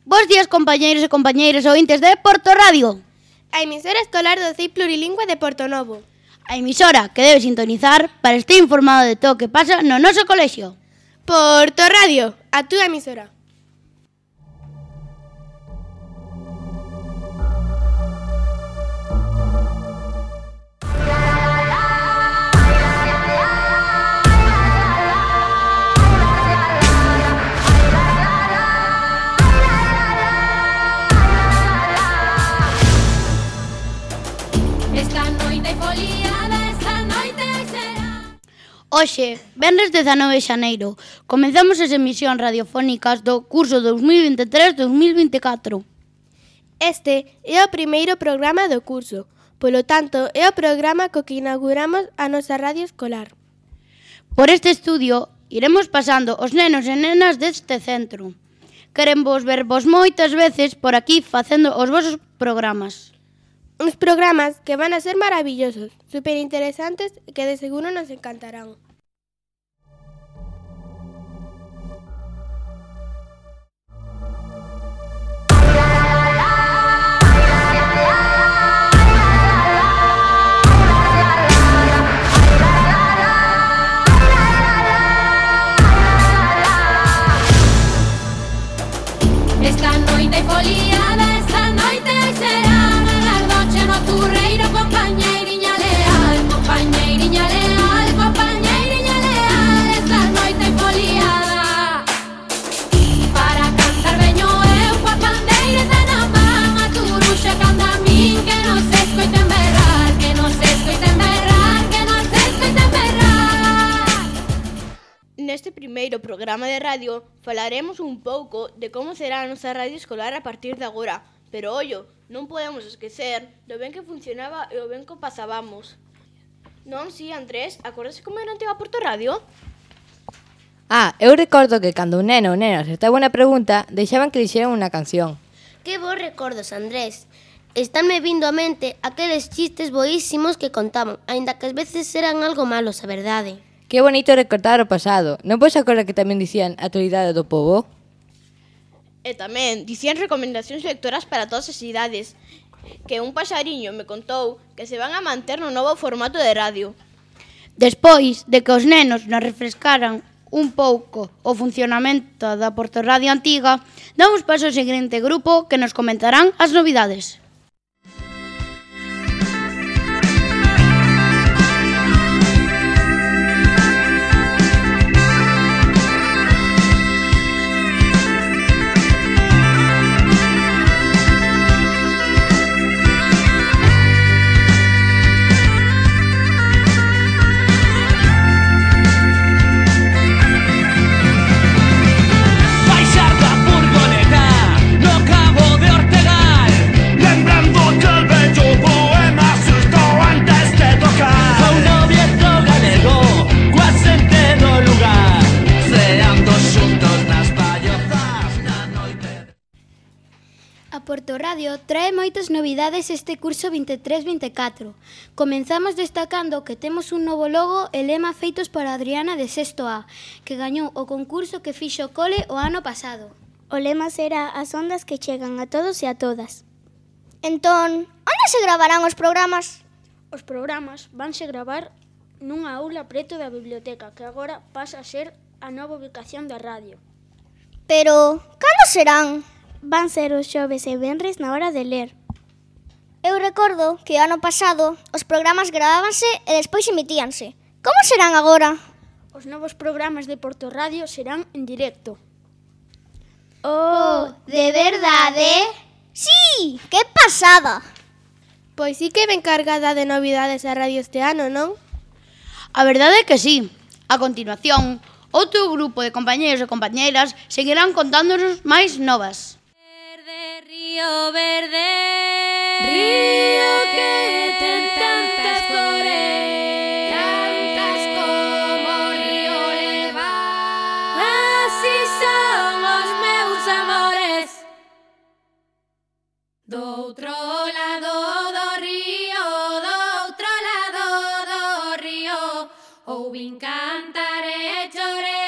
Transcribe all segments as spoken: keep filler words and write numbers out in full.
Bos días, compañeiros e compañeiras ointes de Porto Radio. A emisora escolar do C I Plurilingüe de Portonovo. A emisora que debe sintonizar para estar informado de todo o que pasa no noso colexio. Porto Radio, a túa emisora. Hoxe, venres dezanove de xaneiro, comenzamos as emisións radiofónicas do curso dous mil vinte e tres dous mil vinte e catro. Este é o primeiro programa do curso, polo tanto, é o programa co que inauguramos a nosa radio escolar. Por este estudio, iremos pasando os nenos e nenas deste centro. Queremos vervos moitas veces por aquí facendo os vosos programas. Uns programas que van a ser maravillosos, super interesantes e que de seguro nos encantarán. Esta noite foliada, esta noite será noche nocturreiro, compañeiriña leal, compañeiriña leal, compañeiriña leal, esta noite foliada. Para cantar veño eu coa pandeireta na man, a turuxa canta a min, que non se escoiten berrar, que non se escoiten berrar, que non se escoiten berrar. Neste primeiro programa de radio falaremos un pouco de como será a nosa radio escolar a partir de agora, pero ollo, non podemos esquecer do ben que funcionaba e o ben que pasábamos. Non, si, Andrés, acordase como era a antiga Porto Radio? Ah, eu recordo que cando un neno ou nena acertaba unha pregunta, deixaban que dixeran unha canción. Que bons recordos, Andrés. Estánme vindo á mente aqueles chistes boísimos que contaban, aínda que ás veces eran algo malos, a verdade. Que bonito recordar o pasado. Non podes acordar que tamén dicían a actualidade do pobo? E tamén dicían recomendacións lectoras para todas as idades, que un paxariño me contou que se van a manter no novo formato de radio. Despois de que os nenos nos refrescaran un pouco o funcionamento da Porto Radio antiga, damos paso ao seguinte grupo que nos comentarán as novidades. Porto Radio trae moitas novidades este curso vinte e tres vinte e catro. Comenzamos destacando que temos un novo logo e lema feitos por Adriana de sexto A, que gañou o concurso que fixo o cole o ano pasado. O lema será as ondas que chegan a todos e a todas. Entón, onde se gravarán os programas? Os programas vanse gravar nunha aula preto da biblioteca, que agora pasa a ser a nova ubicación da radio. Pero, cando serán? Van ser os xoves e venres na hora de ler. Eu recordo que ano pasado os programas gravábanse e despois emitíanse. Como serán agora? Os novos programas de Porto Radio serán en directo. Oh, de verdade? Sí, que pasada! Pois sí que ven cargada de novidades a radio este ano, non? A verdade é que sí. A continuación, outro grupo de compañeiros e compañeiras seguirán contándonos máis novas. Verde, río verde, río que ten tantas cores, tantas como o río leva. Así son os meus amores. Do outro lado do río, do outro lado do río, ouvin cantar e chorei.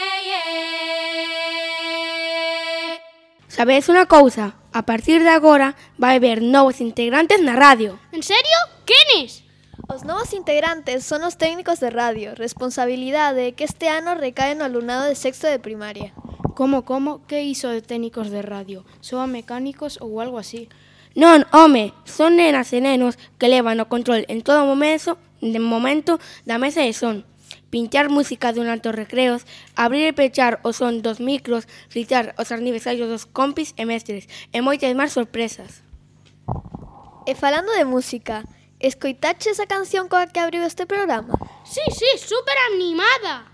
Sabedes unha cousa? A partir de agora vai haber novos integrantes na radio. En serio? Quenes? Os novos integrantes son os técnicos de radio, responsabilidade que este ano recae no alumnado de sexto de primaria. Como, como? Que iso de técnicos de radio? Soan mecánicos ou algo así? Non, home, son nenas e nenos que levan o control en todo momento, de momento da mesa de son. Pinchar música durante os recreos, abrir e pechar o son dos micros, citar os aniversarios dos compis e mestres e moitas máis sorpresas. E falando de música, escoitaches a canción coa que abriu este programa? Sí, sí, super animada!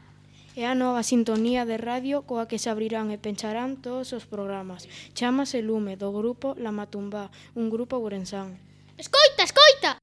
É a nova sintonía de radio coa que se abrirán e pencharán todos os programas. Chámase Lume, do grupo La Matumbá, un grupo ourensán. Escoita, escoita!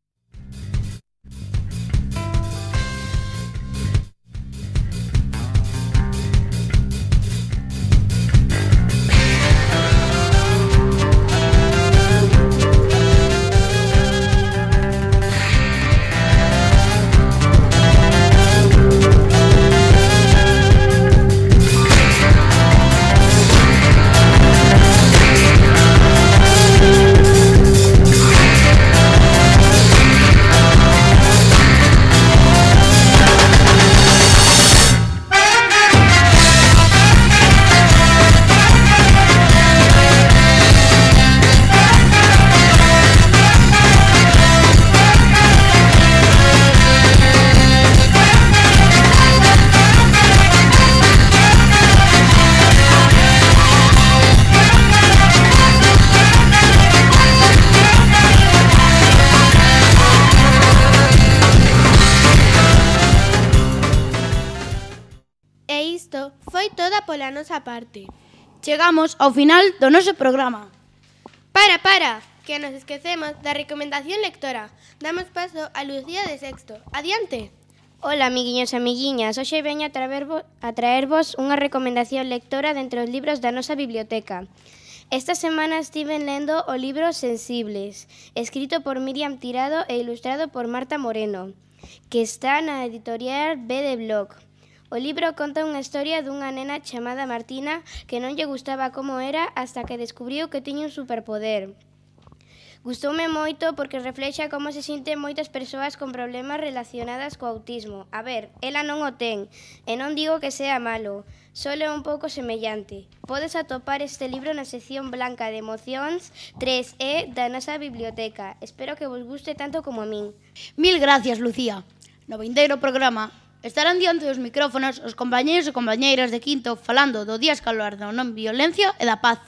Foi toda pola nosa parte. Chegamos ao final do noso programa. Para, para, que nos esquecemos da recomendación lectora. Damos paso a Lucía de sexto. Adiante. Ola, amiguiños e amiguiñas. Hoxe veño a, traervos, a traervos unha recomendación lectora dentro dos libros da nosa biblioteca. Esta semana estiven lendo o libro Sensibles, escrito por Miriam Tirado e ilustrado por Marta Moreno, que está na editorial B de Blog. O libro conta unha historia dunha nena chamada Martina que non lle gustaba como era hasta que descubriu que tiña un superpoder. Gustoume moito porque reflexa como se sinten moitas persoas con problemas relacionadas co autismo. A ver, ela non o ten, e non digo que sea malo, só é un pouco semellante. Podes atopar este libro na sección blanca de emocións tres E da nosa biblioteca. Espero que vos guste tanto como a min. Mil gracias, Lucía. No vindeiro programa estarán diante dos micrófonos os compañeiros e compañeiras de quinto falando do Día Escolar da non violencia e da paz.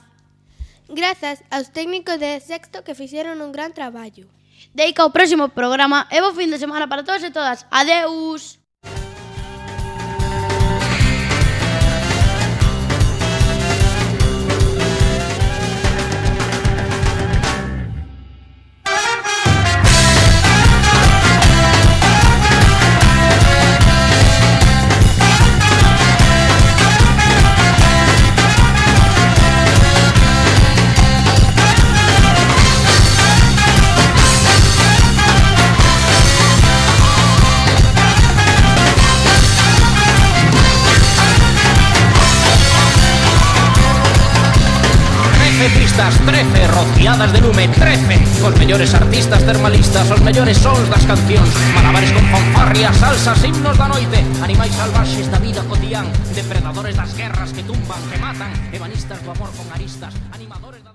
Grazas aos técnicos de sexto que fixeron un gran traballo. Deica ao próximo programa e bo fin de semana para todos e todas. Adeus! trece, rociadas de lume, trece. Os mellores artistas termalistas, os mellores sons das cancións, malabares con fanfarrias, salsas, himnos da noite, animais salvaxes da vida cotidián, depredadores das guerras que tumban, que matan, ebanistas do amor con aristas, animadores da...